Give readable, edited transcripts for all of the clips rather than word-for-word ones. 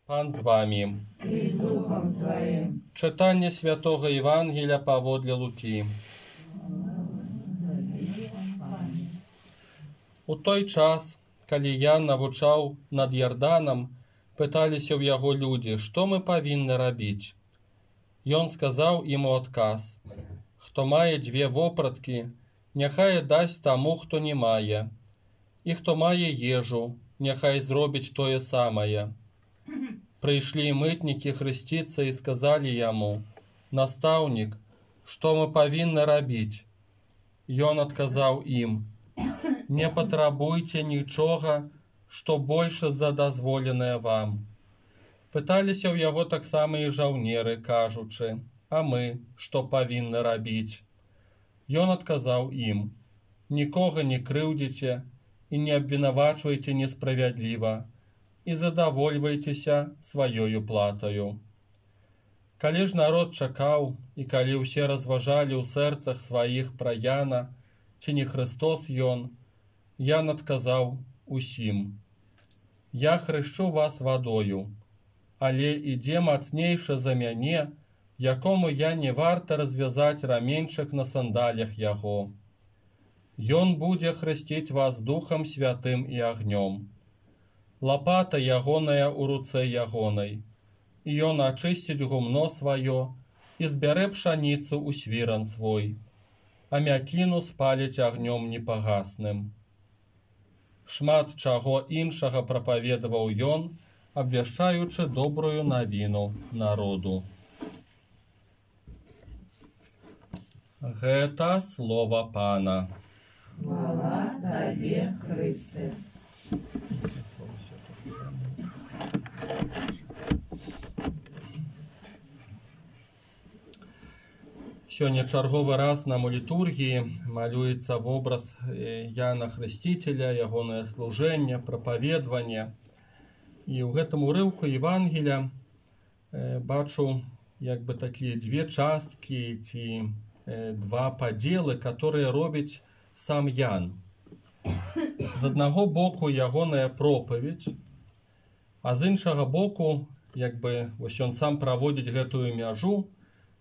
Пан з вами. И с Духом Твоим. Читання Святого Євангелія паводле Луки. У той час, калі Ян навучаў над Ярданам, пыталіся ў яго людзі, што мы павінны рабіць. Ён сказаў ім у адказ: хто мае 2 вопраткі, няхай дасць таму, хто не мае, і хто мае ежу, няхай зробіць тое самае. Прыйшлі мытнікі хрысціцца і сказалі яму: «Настаўнік, што мы павінны рабіць?» Ён адказаў ім: «Не патрабуйце нічога, што больше за дазволенае вам». Пыталіся ў яго таксама і жаўнеры, кажучы: «А мы што павінны рабіць?» Ён адказаў ім: «Нікога не крыўдзіце і не абвінавачвайце несправядліва, і задавольвайцеся сваёю платаю». Калі ж народ чакаў, і калі ўсе разважалі ў сэрцах сваіх пра Яна, ці не Христос ён, Ян адказаў усім: «Я хрышчу вас вадою, але ідзе мацнейшы за мяне, якому я не варта развязаць раменьчык на сандалях яго. Ён будзе хрысціць вас Духам Святым і агнём. Лапата ягоная ў руцэ ягонай, і ён ачысціць гумно сваё і збярэ пшаніцу ў свіран свой, а мякіну спаліць агнём непагасным». Шмат чаго іншага прапаведаваў ён, абвяшчаючы добрую навіну народу. Гэта слова Пана. Хвала Табе, Христе. Сёння чарговы раз нам у літургіі малюецца вобраз Яна Хрысціцеля, ягонае служэнне, прапаведванне. І ў гэтым урыўку Евангелія бачу як бы такія 2 часткі ці 2 падзелы, которые робіць сам Ян. З аднаго боку ягоная пропаведь, а з іншага боку, як бы вось ён сам праводзіць гэтую мяжу.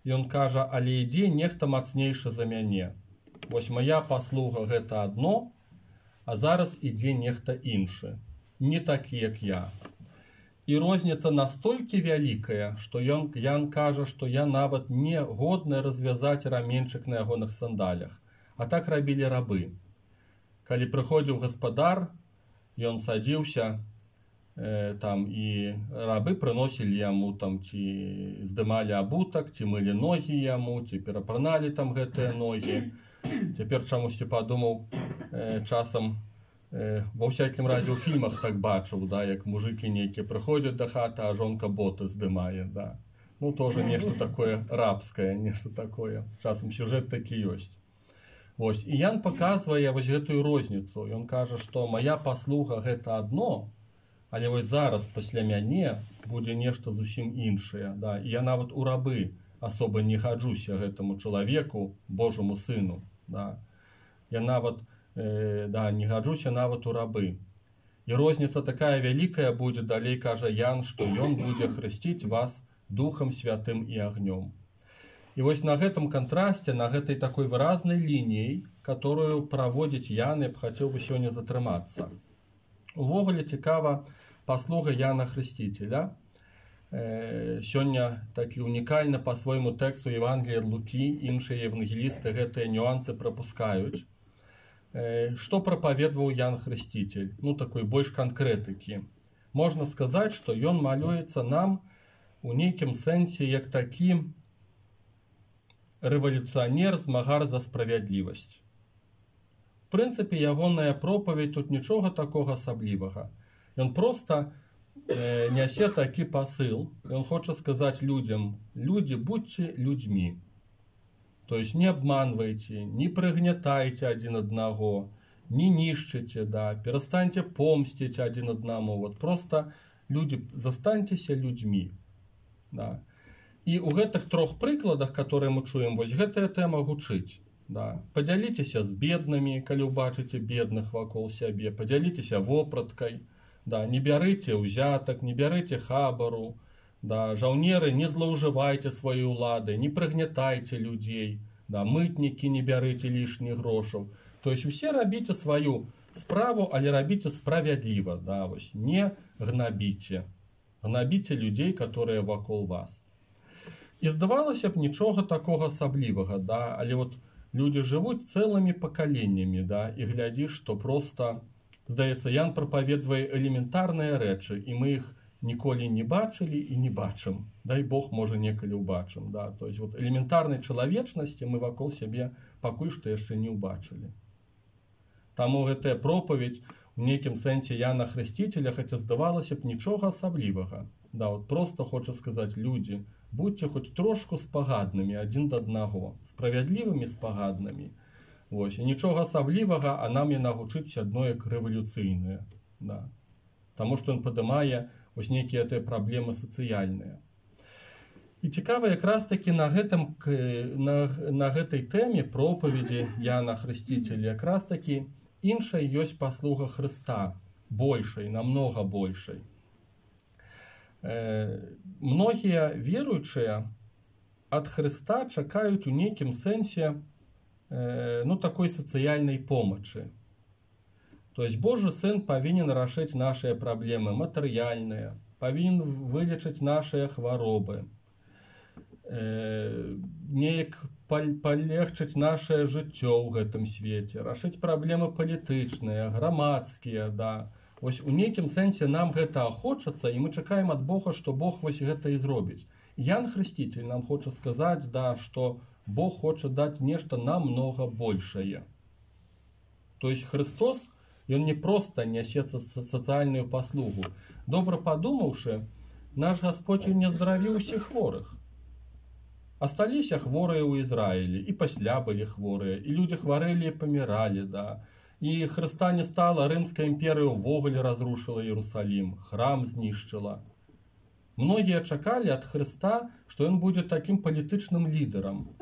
Ён кажа: «Але ідзе нехта мацнейшы за мяне. Вось моя паслуга гэта адно, а зараз ідзе нехта іншы, не такі, як я». І розніца настолькі вялікая, што Ян кажа, што я нават не годны развязаць раменьчык на ягоных сандалях. А так рабілі рабы. Калі прыходзіў гаспадар, ён садзіўся, там і рабы прыносілі яму там ці здымалі абутак, ці мылі ногі яму, ці перапраналі там гэтыя ногі. Цяпер чамусьці падумаў, часам ва ўсякім разе ў фільмах так бачыў, да, як мужыкі нейкія прыходзяць да хаты, а жонка боты здымае, да. Ну тоже нешта такое рабскае, нешта такое. Часам сюжэт такі ёсць. Вось, і Ян паказвае вось гэтую розніцу. Ён кажа, што моя паслуга гэта адно, але вось зараз пасля мяне будзе нешта зусім іншае. Да? І я нават у рабы асоба не хаджуся гэтаму чалавеку, Божаму сыну. Да? Я нават не хаджуся нават у рабы. І розніца такая вялікая будзе, далей кажа Ян, што ён будзе хрысціць вас Духам Святым і агнём. І вось на гэтым кантрасце, на гэтай такой выразнай лініі, которую праводзіць Ян, я б хацеў бы сёння затрымацца. Увогуле цікава паслуга Яна Хрысціцеля. Сёння такі унікальна па-свойму тэксту Евангелія ад Лукі, іншыя евангелісты гэтыя нюансы прапускаюць. Што прапаведваў Ян Хрысціцель? Ну, такой больш канкрэтыкі. Можна сказаць, што ён малюецца нам у нейкім сэнсе як такі рэвалюцыянер, змагар за справядлівасць. В прынцыпе, ягоная пропаведь тут нічога такога асаблівага. Ён проста нясе такі пасыл. Ён хоча сказаць людзям: людзі, будьце людзьмі. То есть не обманвайте, не прыгнятайце адзін аднаго, не нішчыце, да, перастаньце помсціць адзін аднаму. Вот просто людзі, застаньцеся людзьмі. Да. І ў гэтых 3 прыкладах, которые мы чуем, вось гэтая тэма гучыць. Да. Падзяліцеся з беднымі, калі ўбачыце бедных вакол сябе, падзяліцеся вопраткай, Да, не бярыце ўзятак, не бярыце хабару, да, жаўнеры, не злоўжывайце сваёй уладай, не прыгнятайце людзей, да, мытнікі не бярыце лішніх грошаў. То есть усе рабіце сваю справу, але рабіце справядліва, да, вось, не гнабіце. Гнабіце людзей, которые вакол вас. І здавалася б, нічога такога асаблівага, да, але вот людзі жывуць цэлымі пакаленнямі, да, і глядзіш, што проста, здаецца, Ян прапаведвае элементарныя рэчы, і мы іх ніколі не бачылі і не бачым. Дай Бог, можа, некалі ўбачым. Да? То есть, вот, элементарнай чалавечнасці мы вакол сябе пакуль што яшчэ не ўбачылі. Таму гэтая пропаведь у нейкім сэнсе Яна Хрысціцеля, хаця здавалася б, нічога асаблівага. Да, вот, просто хоча сказаць, людзі, будьце хоць трошку спагаднымі адзін да аднаго, справядлівымі спагаднымі. Вось, і нічога асаблівага, а нам яна гучыць адно як рэвалюцыйнае. Да. Таму што ён падымае вось нейкія тыя праблемы сацыяльныя. І цікава якраз такі на гэтай тэме пропаведзі Яна Хрысціцеля якраз такі іншай ёсць паслуга Хрыста, большай, намнога большай. Многія веруючыя ад Хрыста чакаюць у нейкім сэнсе такой сацыяльнай помачы. То есть Божий Сын павінен рашыць нашыя праблемы матэрыяльныя, павінен вылечыць нашыя хваробы, неяк палегчыць нашае жыццё ў гэтым свеце, рашыць праблемы палітычныя, грамадскія, да. Вось у нейкім сэнсе нам гэта хочацца, і мы чакаем ад Бога, што Бог вось гэта і зробіць. Ян Хрысціцель нам хоча сказаць, да, што Бог хоча даць нешта намнога большае. То есть Христос, ён не проста нясецца сацыяльную паслугу. Добра падумаўшы, наш Господь не здаравіў усіх хворых. Асталіся хворыя ў Ізраілі, і пасля былі хворыя, і людзі хварэлі і паміралі, да. І Хрыста не стала, Рымская імперыя ўвогуле разрушыла Іерусалім, храм знішчыла. Многія чакалі ад Хрыста, што ён будзе такім палітычным лідарам.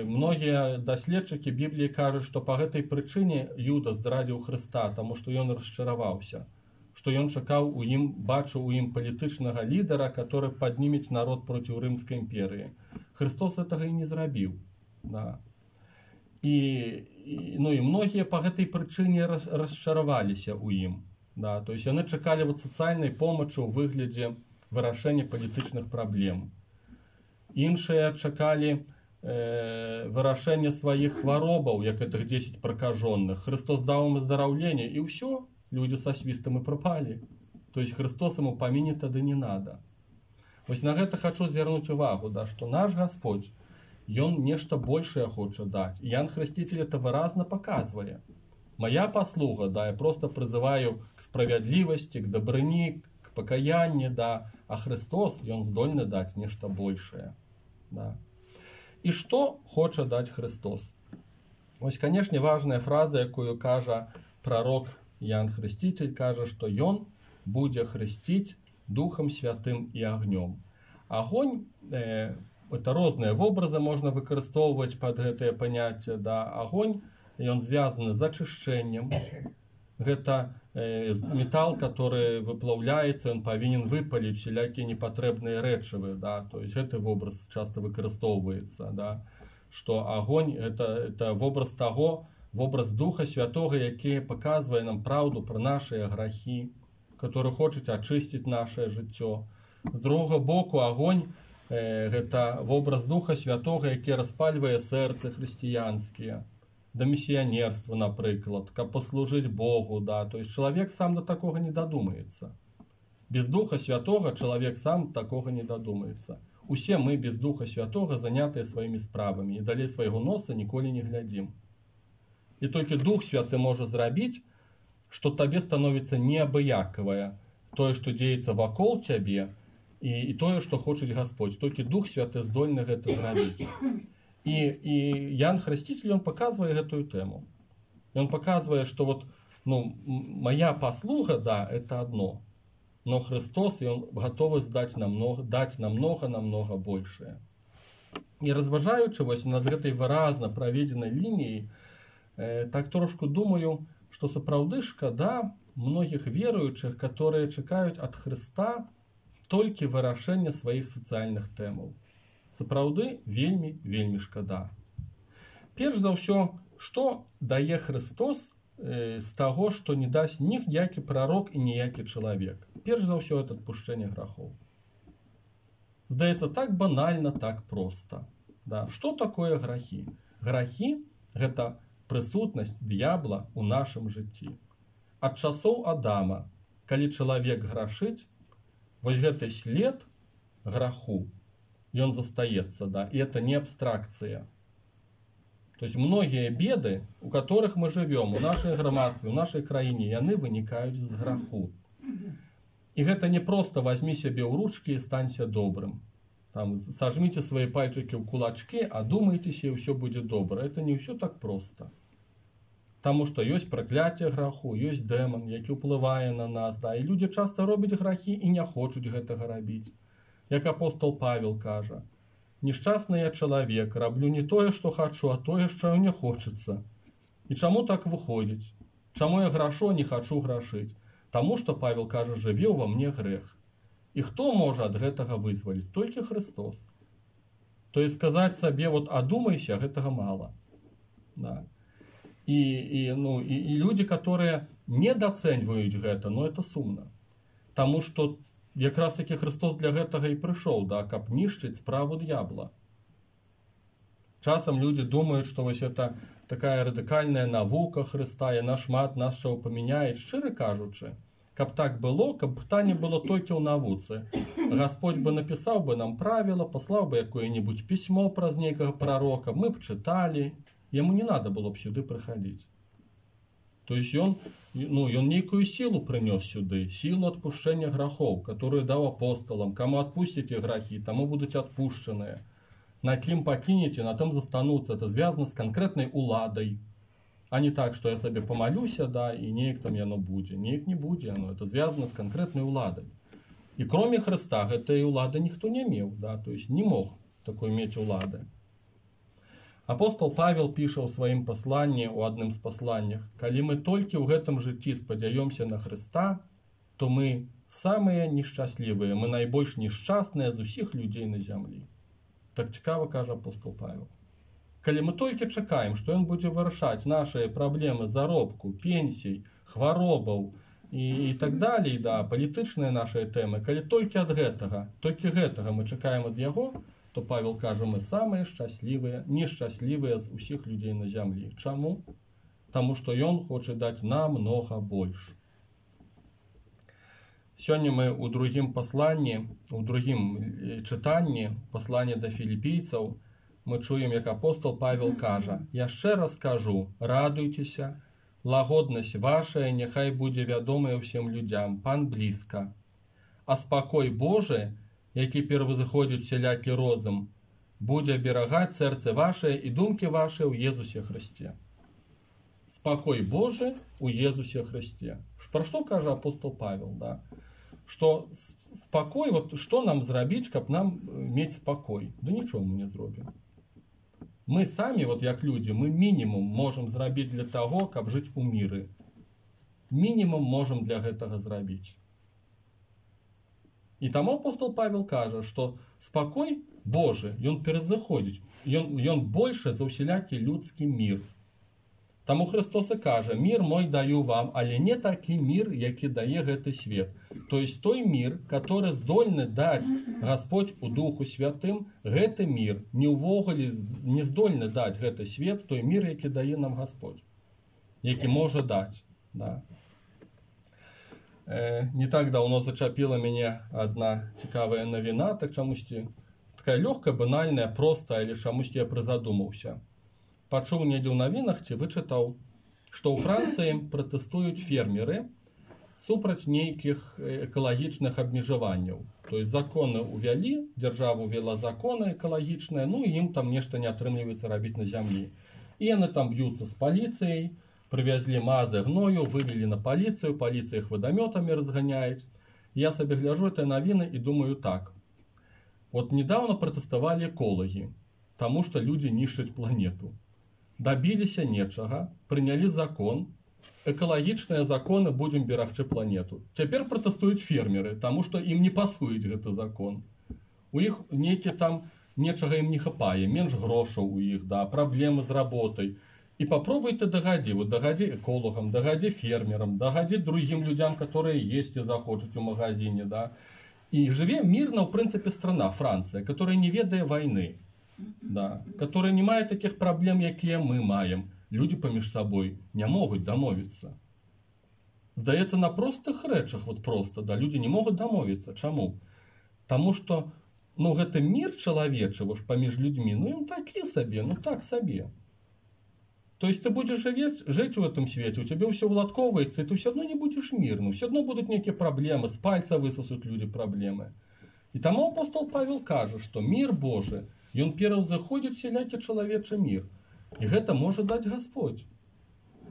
Многія даследчыкі Бібліі кажуць, што па гэтай прычыне Юда здрадзіў Хрыста, таму што ён расчараваўся, што ён чакаў у ім, бачыў у ім палітычнага лідара, который паднімець народ проціў Рымскай імперыі. Христос гэтага і не зрабіў. Да. І многія па гэтай прычыне расчараваліся ў ім. Да. То есть яны чакалі вот сацыяльнай помачы ў выглядзе вырашэння палітычных праблем. Іншыя чакалі вырашэння сваіх хваробаў, як гэтых 10 пракажоных. Христос даў ім аздараўленне, і ўсё, людзі са свістам і прапалі. То есть Христос ему паміне тады не надо. Вось на гэта хачу звярнуць увагу, да, што наш Господь, ён нешта большае хоча даць. І Ян Хрысціцель это выразна паказвае. Моя паслуга, да, я просто прызываю к справядлівасці, к дабрыні, к пакаянні, да, а Христос, ён здольны даць нешта большае. Да. І што хоча даць Христос? Вось, канешне, важная фраза, якую кажа прарок Ян Хрысціцель, кажа, што ён будзе хрысціць Духам Святым і агнём. Агонь, это розныя вобразы можна выкарыстоўваць пад гэтае паняцце, да, агонь, ён звязаны з ачышчэннем. Гэта метал, который выплаўляецца, ён павінен выпаліць всялякія непатрэбныя рэчывы, да, то есть гэты вобраз часто выкарыстоўваецца, да, што агонь это вобраз таго, вобраз Духа Святога, які паказвае нам праўду пра нашыя грахі, который хочуць ачысціць нашае жыццё. З другога боку, агонь гэта вобраз Духа Святога, які распальвае сэрцы хрысціянскія, да місіянерства, напрыклад, каб паслужыць Богу, да, то есть чалавек сам до такога не дадумаецца. Без Духа Святога чалавек сам такога не дадумаецца. Усе мы без Духа Святога занятыя сваімі справамі і далей свайго носа ніколі не глядзім. І толькі Дух Святы можа зрабіць, што табе становіцца неабыякавае тое, што дзеецца вакол цябе, і тое, што хочуць Господь. Толькі Дух Святы здольны гэта зрабіць. І Ян Хрысціцель, ён паказвае гэтую тэму. Ён паказвае, што вот, моя паслуга, да, это одно. Но Христос, ён гатовы даць намнога большае. І разважаючы вось над гэтай выразна праведзенай лініяй, так трошку думаю, што сапраўды шкада, многих верующих, которые чекают от Христа только вырашения своих социальных темов. Сапраўды, вельмі шкада. Перш за ўсё, што дае Христос з таго, што не дасць ніякі прарок і ніякі чалавек? Перш за ўсё, это адпушчэнне грахоў. Здаецца, так банальна, так проста. Да. Што такое грахі? Грахі – гэта прысутнасць д'ябла ў нашым жыцці. Ад часоў Адама, калі чалавек грашыць, вось гэты след граху, ён застаецца, да, і это не абстракцыя. То есть многія беды, у которых мы живем, у нашай грамадстве, у нашай краіне, яны вынікаюць з граху. І гэта не просто возьми себе ў ручки і станься добрым. Там, сожмите свои пальчики в кулачки, а думайтесь, и все будет добро. Это не все так просто. Потому что есть проклятие граху, есть демон, який впливає на нас. Да? І люди часто роблять грахи і не хочуть гэтага рабіць. Як апостол Павел каже, «Нещасний я чоловік, роблю не тое, що хочу, а тое, що не хочеться». І чому так виходить? Чому я грашу, а не хочу грашить? Тому що, Павел каже, живе во мне грех. І хто може ад гэтага вызваліць? Толькі Христос. То есть сказаць сабе, вот, адумайся, гэтага мало. Да. И люди, которые недооценивают гэта, но это сумно. Тому что якраз таки Христос для гэтага и пришел, да, каб нішчыць справу д'ябла. Часам люди думают, что вот это такая радикальная навука Христа, яна шмат нас чаго памяняе, шчыра кажучы. Каб так было, каб пытанне было толькі ў навуцы. Господь бы написал бы нам правила, послал бы якое-нибудь письмо праз нейкага пророка, мы б читали, ему не надо было б сюды приходить. То есть он некую силу принес сюды, силу отпущения грехов, которую дал апостолам. Кому отпустите грехи, тому будут отпущенные. На ким покинете, на том застанутся. Это связано с конкретной уладой. А не так, что я себе помолюся, да, и неяк там яно будзе. Неяк не будзе яно. Это связано с конкретной уладой. И кроме Христа этой улады никто не имел, да, то есть не мог такой иметь улады. Апостол Павел піша ў сваім пасланні, у адным з пасланнях, «Калі мы толькі ў гэтым жыцці спадзяёмся на Христа, то мы самыя нешчаслівыя, мы найбольш нешчасныя з усіх людзей на зямлі». Так цікава кажа апостол Павел. Калі мы толькі чакаем, што ён будзе вырашаць нашыя праблемы заробку, пенсій, хваробаў і так далей, да, палітычныя нашыя тэмы, калі толькі ад гэтага мы чакаем ад яго, то Павел кажа, мы самыя шчаслівыя, нешчаслівыя з усіх людзей на зямлі. Чаму? Таму што ён хоча даць намнога больш. Сёння мы ў другім пасланні, у другім чытанні, пасланні да філіпійцаў, мы чуем, як апостол Павел кажа, «Яшчэ раз кажу, радуйцеся, лагоднасць вашая няхай будзе вядомая ўсім людзям, пан блізка. А спакой Божы, які перавызыходзіць усялякі розум, будзе аберагаць сэрцы вашае і думкі вашыя ў Езусе Христе». Спакой Божы ў Езусе Христе. Пра што кажа апостол Павел, да? Што спакой, вот што нам зрабіць, каб нам мець спакой? Да нічого мы не зробім. Мы самі, вот як людзі, мы мінімум можам зрабіць для таго, каб жыць у міры. Мінімум можам для гэтага зрабіць. І таму апостол Павел кажа, што спакой Божы, ён перазыходзіць, ён больше за ўсялякі людскі мір. Таму Христос і кажа, «Мір мой даю вам, але не такі мір, які дае гэты свет». То есть той мир, который здольны даць Господь у Духу Святым, гэты мир не ўвогуле не здольны даць гэты свет, той мир, які дае нам Господь, які можа даць. Да. Не так давно зачапіла мяне одна цікавая навіна, так чамусьці такая лёгкая, банальная, простая, але чамусьці я прызадумаўся. Пачуў недзе ў навінах ці вычытаў, што ў Францыі пратэстуюць фермеры супраць нейкіх экалагічных абмежаванняў. То есть законы увялі, дзяржава увяла законы экалагічныя, ну і ім там нешта не атрымліваецца рабіць на зямлі. І яны там б'юцца з паліцыяй, привезли мазы гною, вылили на полицию, полиция их водометами разгоняет. Я себе гляжу этой новины и думаю так. Вот недавно протестовали экологи, потому что люди нищат планету. Добились нечага, приняли закон, экалагічныя законы, будзем берагчы планету. Цяпер пратэстуюць фермеры, таму што ім не пасуюць гэты закон. У іх нейкі там нечага ім не хапае, менш грошаў у іх, да, праблемы з работай. І попробуй ты дагадзі, вот дагадзі эколагам, дагадзі фермерам, дагадзі другім людзям, которые есці захочуць у магазине, да. І жыве мірна, ў прынцыпе, страна, Францыя, которая не ведае вайны, да, которая не мае такіх праблем, якія мы маем. Людзі паміж сабой не могуць дамовіцца. Здаецца, на простых рэчах, вот просто, да, людзі не могуць дамовіцца. Чаму? Таму што, ну, гэты мір чалавечы, вось, паміж людзьмі, ну, ён такі сабе, ну, так сабе. То есть ты будешь жить в этом свете, у тебя все уладковывается, и ты все равно не будешь мирным, все равно будут некие проблемы, с пальца высосут люди проблемы. И тому апостол Павел кажет, что мир Божий, и он первым заходит всякий человечий мир. И это может дать Господь.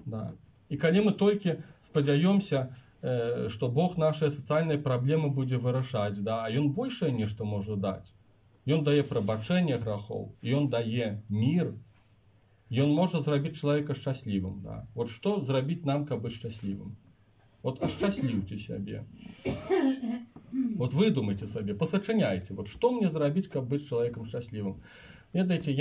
Да. И когда мы только сподяемся, что Бог наши социальные проблемы будет вырашать, да, а он больше нечто может дать. И он дает пробачение грехов, и он дает мир. І ён можа зрабіць чалавека шчаслівым. Да. Вот што зрабіць нам, каб быць шчаслівым? Вот ашчасліўце сябе. Вот выдумайце сабе, пасачыняйце. Вот што мне зрабіць, каб быць чалавекам шчаслівым? Ведаеце,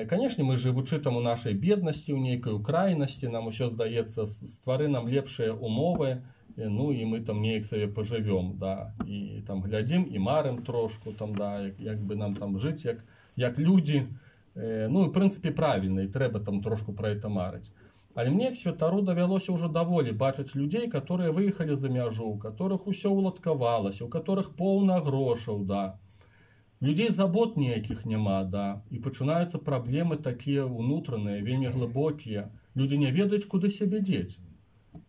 конечно, мы жывучы там у нашай беднасці, у нейкай украінасці, нам усё здаецца, ствары нам лепшыя умовы, ну і мы там неяк сабе пажывём, да, і там глядзім і марым трошку, там, да, як бы нам там жыць, як людзі. Ну, в прынцыпе, правільна, і трэба там трошку пра гэта марыць. Але мне, як святару, давялося ўжо даволі бачыць людзей, которые выехалі за мяжу, у которых усё уладкавалася, у которых поўна грошаў, да. Людзей забот ніякіх няма, да. І пачынаюцца праблемы такія ўнутраныя, вельмі глыбокія. Людзі не ведаюць, куды сябе дзець.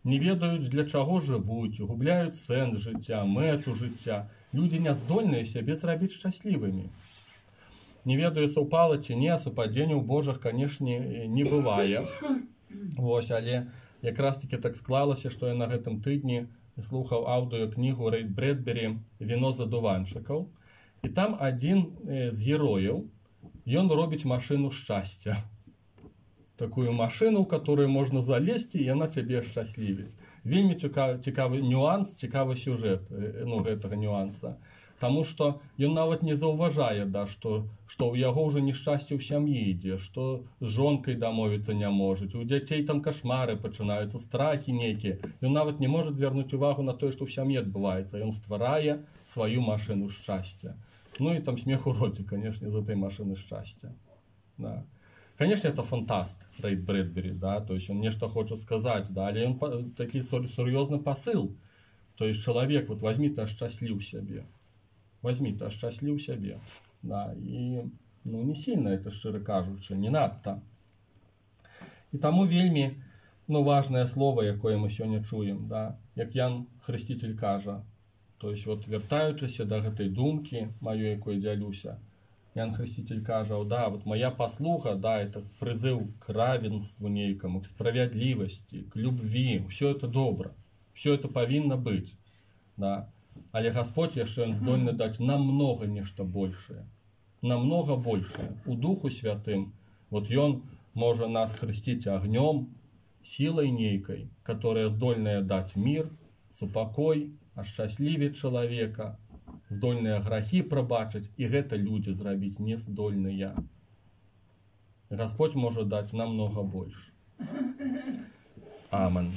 Не ведаюць, для чаго жывуць, губляюць сэнс жыцця, мэту жыцця. Людзі не здольныя сябе зрабіць шчаслівымі. Не ведаю, супала ці не, супадзенняў Божых, канешне, не бывае. Вось, але якраз таки так склалася, што я на гэтым тыдні слухаў аўдыёкнігу Рэй Брэдбері «Віно з адуванчыкаў». І там адзін з герояў, ён робіць машыну шчасця. Такую машыну, у которую можна залезці, і яна цябе шчаслівіць. Вельмі цікавы нюанс, цікавы сюжэт, ну, гэтага нюанса. Таму што ён нават не заўважае, да, што ў яго ўжо нешчасце ў сям'і ідзе, што з жонкай дамовіцца не можа, у дзяцей там кашмары пачынаюцца, страхі нейкія. Ён нават не можа звярнуць увагу на тое, што ў сям'і адбываецца. Ён стварае сваю машыну шчасця. Ну і там смех у роце, канешне, з этой машыны шчасця. Да. Конечно, это фантаст, Рэй Брэдбері, да, то есть он нешта хоча сказаць, да, але ён такі сур'ёзны пасыл. То есть чалавек, вот возьми ты ашчасліў сябе. Возьми ты ашчасліў сябе. Да, і, ну, не сильно это, шчыра кажучы, не надта. І таму вельмі, ну, важнае слово, якое мы сёння чуем, да, як Ян Хрысціцель кажа. То есть вот вяртаючыся да гэтай думкі маёй, якой дзялюся, Ян Хрысціцель кажа, да, вот моя паслуга, да, это прызыў к равенству нейкаму, к справядлівасці, к любви, все это добра, все это павінна быць, да. Але Господь яшчэ ён здольны даць намнога нешта большае, намнога большае. У Духу Святым, вот ён можа нас хрысціць агнём, сілай нейкай, которая здольная даць мир, супакой, ашчаслівіць чалавека, здольныя грахі прабачыць, і гэта людзі зрабіць не здольныя. Господь можа даць намнога больш. Амен.